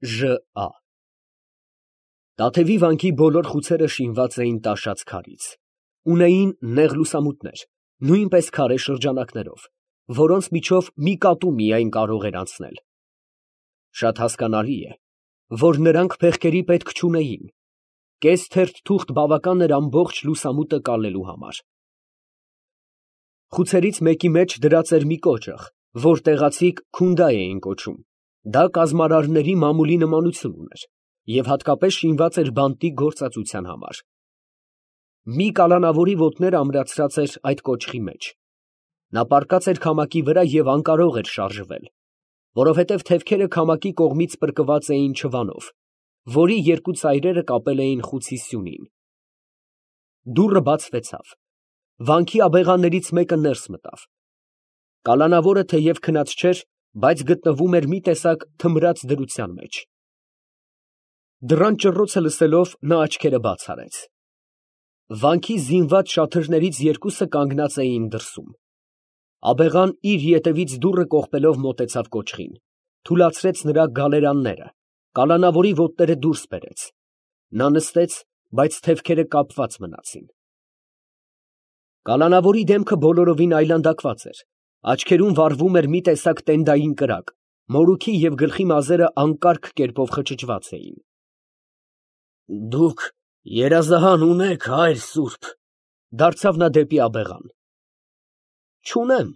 ԺԱ Տաթևի վանքի բոլոր խուցերը շինված էին տաշած քարից, ունեին նեղ լուսամուտներ, նույնպես քարե շրջանակներով, որոնց միջով մի կատու միայն կարող էր անցնել. շատ հասկանալի է, որ նրանք փեղկերի պետք չունեին, կես թերթ թուղթ բավական էր ամբողջ լուսամուտը կալելու համար։ Խուցերից մեկի մեջ դրած էր մի կոճղ, որ տեղացիք քունդա էին կոչում, դա կազմարարների մամուլի նմանություն ուներ և հատկապես շինված էր բանտի գործածության համար։ Մի կալանավորի ոտները ամրացրած էր այդ կոճղի մեջ, նա պառկած էր քամակի վրա և անկարող էր շարժվել, որովհետև թևքերը քամակի կողմից պրկված էին չվանով, որի երկու ծայրերը կապել էին խուցի սյունին։ Դուռը բացվեցավ, վանքի աբեղաններից մեկը ներս մտավ։ Կալանավորը թեև քնած չէր, բայց գտնվում էր մի տեսակ թմրած դրության մեջ։ Դռան ճռոցը լսելով, նա աչքերը բաց արեց։ Վանքի զինված շաթրներից երկուսը կանգնած էին դրսում։ Աբեղան իր ետևից դուռը կողպելով մոտեցավ կոճղին, թուլացրեց նրա գալերանները, կալանավորի ոտները դուրս բերեց։ Նա նստեց, բայց թևքերը կապված մնացին։ Կալանավորի դեմքը բոլորովին այլանդակված էր, աչքերում վառվում էր մի տեսակ տենդային կրակ, մորուքի և գլխի մազերը անկարգ կերպով խճճված էին։ Դուք երազահան ունե՞ք, հայր սուրբ, դարձավ նա դեպի աբեղան։ Չունեմ,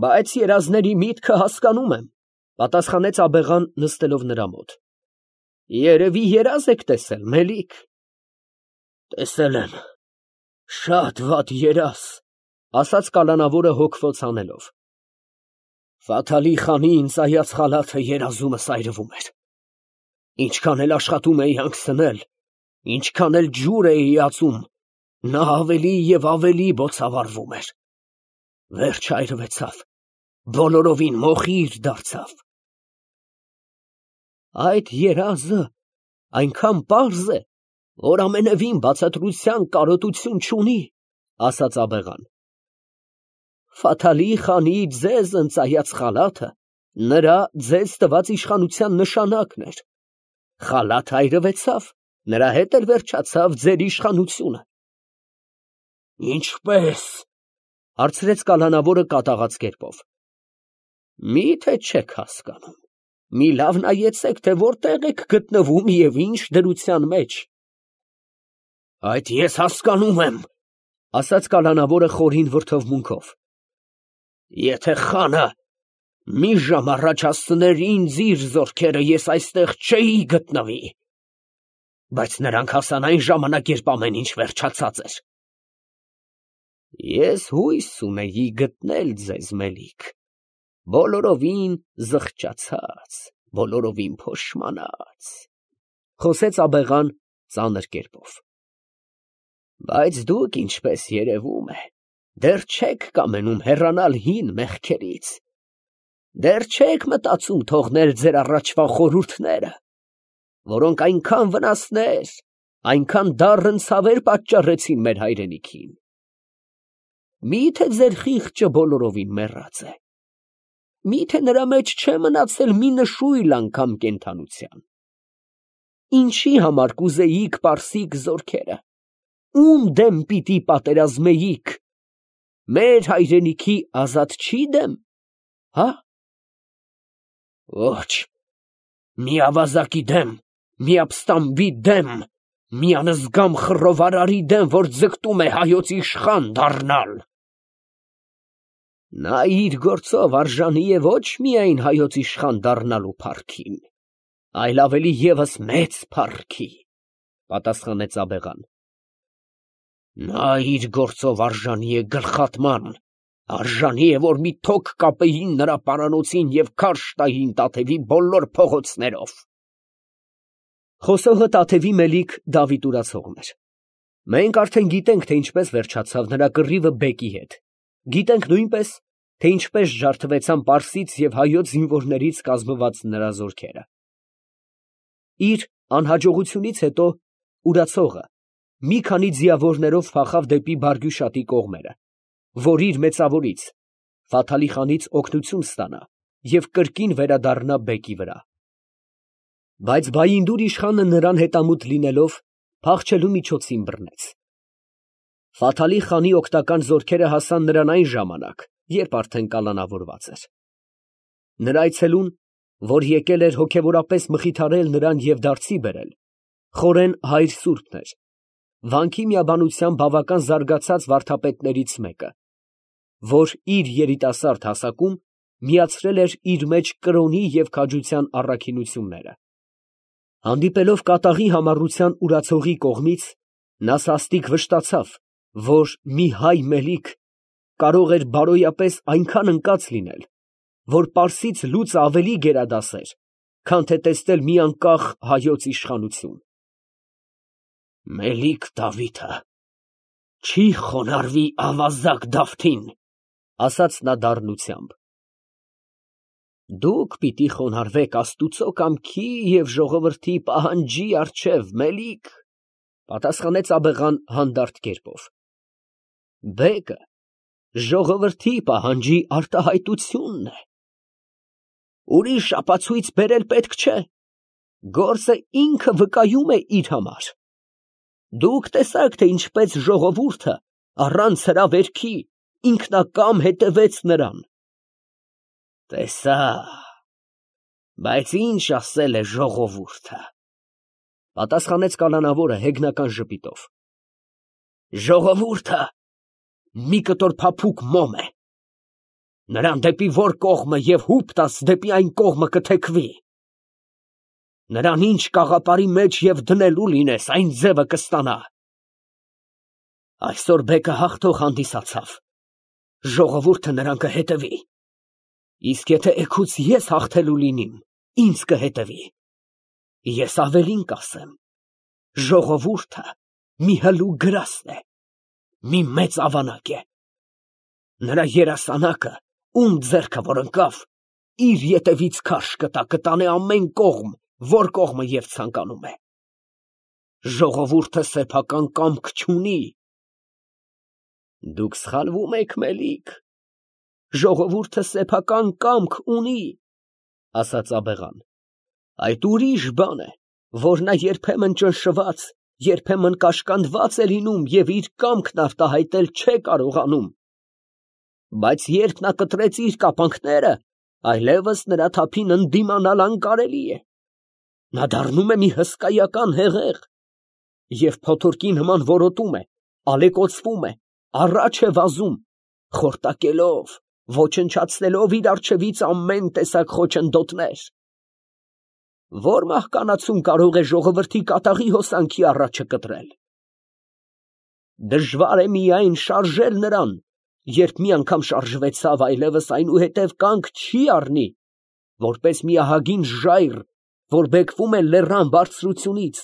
բայց երազների միտքը հասկանում եմ, պատասխանեց աբեղան, նստելով նրա մոտ։ Երևի երազ եք տեսել, մելիք։ Տեսել եմ, շատ վատ երազ, ասաց կալանավորը հոգվոց անելով։ Ֆաթալի խանի ինձ այած խալաթը երազումս այրվում էր։ Ինչքան էլ աշխատում էի հանգցնել, ինչքան էլ ջուր էի ածում, նա ավելի և ավելի բոցավառվում էր։ Վերջ այրվեցավ, բոլորովին մոխիր դարձավ։ Այդ երազը այնքան պարզ է, որ ամենևին բացատրության կարոտություն չունի, ասաց աբեղան։ Ֆաթալի խանի ձեզ ընծայած խալաթը նրա ձեզ տված իշխանության նշանակն էր։ Խալաթը այրվեցավ, նրա հետ էլ վերջացավ ձեր իշխանությունը։ Ինչպե՞ս, հարցրեց կալանավորը կատաղած կերպով։ Մի՞թե չեք հասկանում, մի լավ նայեցեք, թե որտեղ եք գտնվում և ինչ դրության մեջ։ Այդ ես հասկանում եմ, ասաց կալանավորը խորին վրդովմունքով։ Եթե խանը մի ժամ առաջ հասցներ ինձ իր զորքերը, ես այստեղ չէի գտնվի, բայց նրանք հասան այն ժամանակ, երբ ամեն ինչ վերջացած էր։ Ես հույս ունեի գտնել ձեզ, մելիք, բոլորովին զղջացած, բոլորովին փոշմանած, խոսեց աբեղան ծանր կերպով։ Բայց դուք, ինչպես երևում է, դեռ չեք կամենում հեռանալ հին մեղքերից, դեռ չեք մտածում թողնել ձեր առաջվա խորհուրդները, որոնք այնքան վնասներ, այնքան դառն ցավեր պատճառեցին մեր հայրենիքին։ Մի՞թե ձեր խիղճը բոլորովին մեռած է, մի՞թե նրա մեջ չէ մնացել մի նշույլ անգամ կենդանության։ Ինչի համար կուզեիք պարսիկ զորքերը, ում դեմ պիտի պատերազմեիք, մեր հայրենիքի ազատչի դեմ, հա։ Ոչ, մի ավազակի դեմ, մի ապստամբի դեմ, մի անզգամ խռովարարի դեմ, որ ձգտում է հայոց իշխան դառնալ։ Նա իր գործով արժանի է ոչ միայն հայոց իշխան դառնալու փառքին, այլ ավելի ևս մեծ փառքի, պատասխանեց աբեղան։ Նա իր գործով արժանի է գլխատման, արժանի է, որ մի թոկ կապեին նրա պարանոցին և քարշ տային Տաթևի բոլոր փողոցներով։ Խոսողը Տաթևի մելիք Դավիթ Ուրացողն էր։ Մենք արդեն գիտենք, թե ինչպես վերջացավ նրա կռիվը բեկի հետ, գիտենք նույնպես, թե ինչպես ջարդվեցան պարսից և հայոց զինվորներից կազմված նրա զորքերը։ Իր անհաջողությունից հետո Ուրացողը մի քանի ձիավորներով փախավ դեպի Բարգյուշատի կողմերը, որ իր մեծավորից Ֆաթալի խանից օգնություն ստանա և կրկին վերադառնա բեկի վրա։ Բայց Բայինդուր իշխանը նրան հետամուտ լինելով, փախչելու միջոցին բռնեց։ Ֆաթալի խանի օգնական զորքերը հասան նրան այն ժամանակ, երբ արդեն կալանավորված էր։ Նրա այցելուն, որ եկել էր հոգևորապես մխիթարել նրան և դարձի բերել, խորեն հայր սուրբն էր, վանքի միաբանությամբ բավական զարգացած վարդապետներից մեկը, որ իր երիտասարդ հասակում միացրել էր իր մեջ կրոնի և քաջության առաքինությունները։ Հանդիպելով կատաղի համառության ուրացողի կողմից, նա սաստիկ վշտացավ, որ մի հայ մելիք կարող էր բարոյապես այնքան ընկած լինել, որ պարսից լուծը ավելի գերադասեր, քան թե տեսնել մի անկախ հայոց իշխանություն։ «Մելիք Դավիթը չի խոնարհվի ավազակ Դավթին», ֊ ասաց նա դառնությամբ։ «Դուք պիտի խոնարհվեք աստուծո կամքի և ժողովրդի պահանջի առջև, մելիք», ֊ պատասխանեց աբեղան հանդարտ կերպով։ «Բեկը ժողովրդի պահանջի արտահայտությունն է։ Ուրիշ ապացույց բերել պետք չէ, գործը ինքը վկայում է իր համար։ Դուք տեսաք, թե ինչպես ժողովուրդը առանց հրավերքի ինքնակամ հետևեց նրան»։ «Տեսա, բայց ինչ ասել է ժողովուրդը», ֊ պատասխանեց կալանավորը հեգնական ժպիտով։ «Ժողովուրդը մի կտոր փափուկ մոմ է, նրան դեպի որ կողմը և հուպ տաս, դեպի այն կողմը կթեքվի։ Նրան ինչ կաղապարի մեջ և դնելու լինես, այն ձևը կստանա։ Այսօր բեկը հաղթող հանդիսացավ, ժողովուրդը նրան կհետևի, իսկ եթե էգուց ես հաղթելու լինիմ, ինձ կհետևի։ Ես ավելին կասեմ, ժողովուրդը մի հլու գրաստ է, մի մեծ ավանակ է։ Նրա երասանակը, ում ձեռքը որ ընկավ, իր ետևից քարշ կտա, կտանե ամեն կողմ, որ կողմը և ցանկանում է։ Ժողովուրդը սեփական կամք չունի»։ «Դուք սխալվում եք, մելիք, ժողովուրդը սեփական կամք ունի», ֊ ասաց աբեղան։ «Այդ ուրիշ բան է, որ նա երբեմն ճնշված, երբեմն կաշկանդված է լինում և իր կամքն արտահայտել չէ կարողանում։ Բայց երբ նա կտրեց իր կապանքները, այլևս նրա թափին ընդդիմանալ անկարելի է։ Նա դառնում է մի հսկայական հեղեղ և փոթորկի նման որոտում է, ալեկոծվում է, առաջ է վազում, խորտակելով, ոչնչացնելով իր առջևից ամեն տեսակ խոչընդոտներ։ Ո՞ր մահկանացուն կարող է ժողովրդի կատաղի հոսանքի առաջը կտրել։ Դժվար է միայն շարժել նրան, երբ մի անգամ շարժվեցավ, այլևս այնուհետև կանգ չի առնի, որպես մի ահագին ժայռ, որ բեկվում է լեռան բարձրությունից,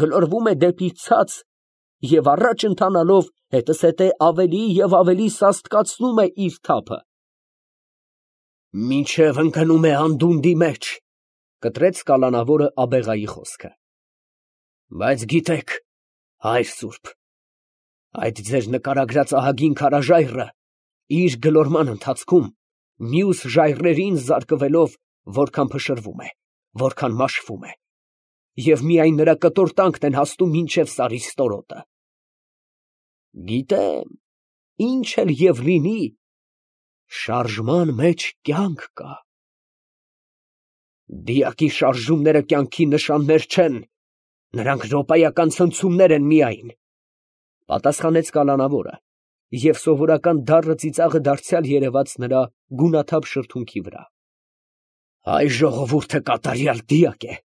գլորվում է դեպի ցած և առաջ ընթանալով հետզհետե ավելի և ավելի սաստկացնում է իր թափը։ «Մինչև ընկնում է անդունդի մեջ», ֊ կտրեց կալանավորը աբեղայի խոսքը։ «Բայց գիտեք, հայր սուրբ, այդ ձեր նկարագրած ահագին քարաժայռը իր գլորման ընթացքում մյուս ժայռերին զարկվելով որքան փշրվում է, որքան մաշվում է, և միայն նրա կտորտանքն են հասնում մինչև սարի ստորոտը։ Գիտեմ, ինչ էլ և լինի, շարժման մեջ կյանք կա։ Դիակի շարժումները կյանքի նշաններ չեն, նրանք րոպայական ցնցումներ են միայն», ֊ պատասխանեց կալանավորը, և սովորական դառն ծիծաղը դարձյալ երևաց նրա գունաթափ շրթունքի վրա։ «Հայ ժողովուրդը կատարյալ դիակ է։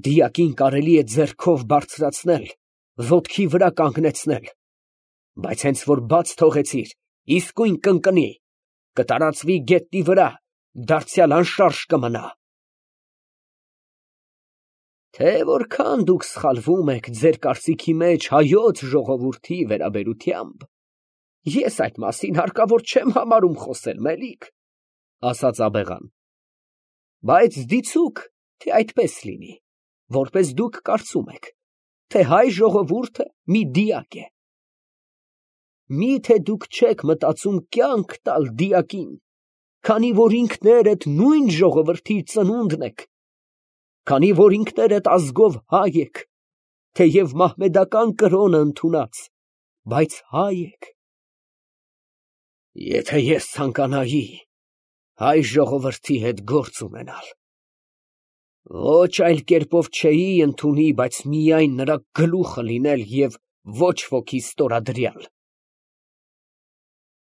Դիակին կարելի է ձեռքով բարձրացնել, ոտքի վրա կանգնեցնել, բայց հենց որ բաց թողեցիր, իսկույն կընկնի, կտարածվի գետնի վրա, դարձյալ անշարժ կմնա։ Թե որքան դուք սխալվում եք ձեր կարծիքի մեջ հայոց ժողովրդի վերաբերությամբ, ես այդ մասին հարկավոր չեմ համարում խոսել, մելիք, ֊ ասաց աբեղան։ Բայց դիցուք, թե այդպես լինի, որպես դուք կարծում եք, թե հայ ժողովուրդը մի դիակ է։ Մի՞թե դուք չեք մտածում կյանք տալ դիակին, քանի որ ինքներդ նույն ժողովրդի ծնունդն եք։ Քանի որ ինքներդ ազգով հայ եք, թեև մահմեդական կրոնը ընդունած, բայց հայ եք։ Եթե ես ցանկանայի հայ ժողովրդի հետ գործ ունենալ, ոչ այլ կերպով չէի ընդունի, բայց միայն նրա գլուխը լինել և ոչ ոքի ստորադրյալ։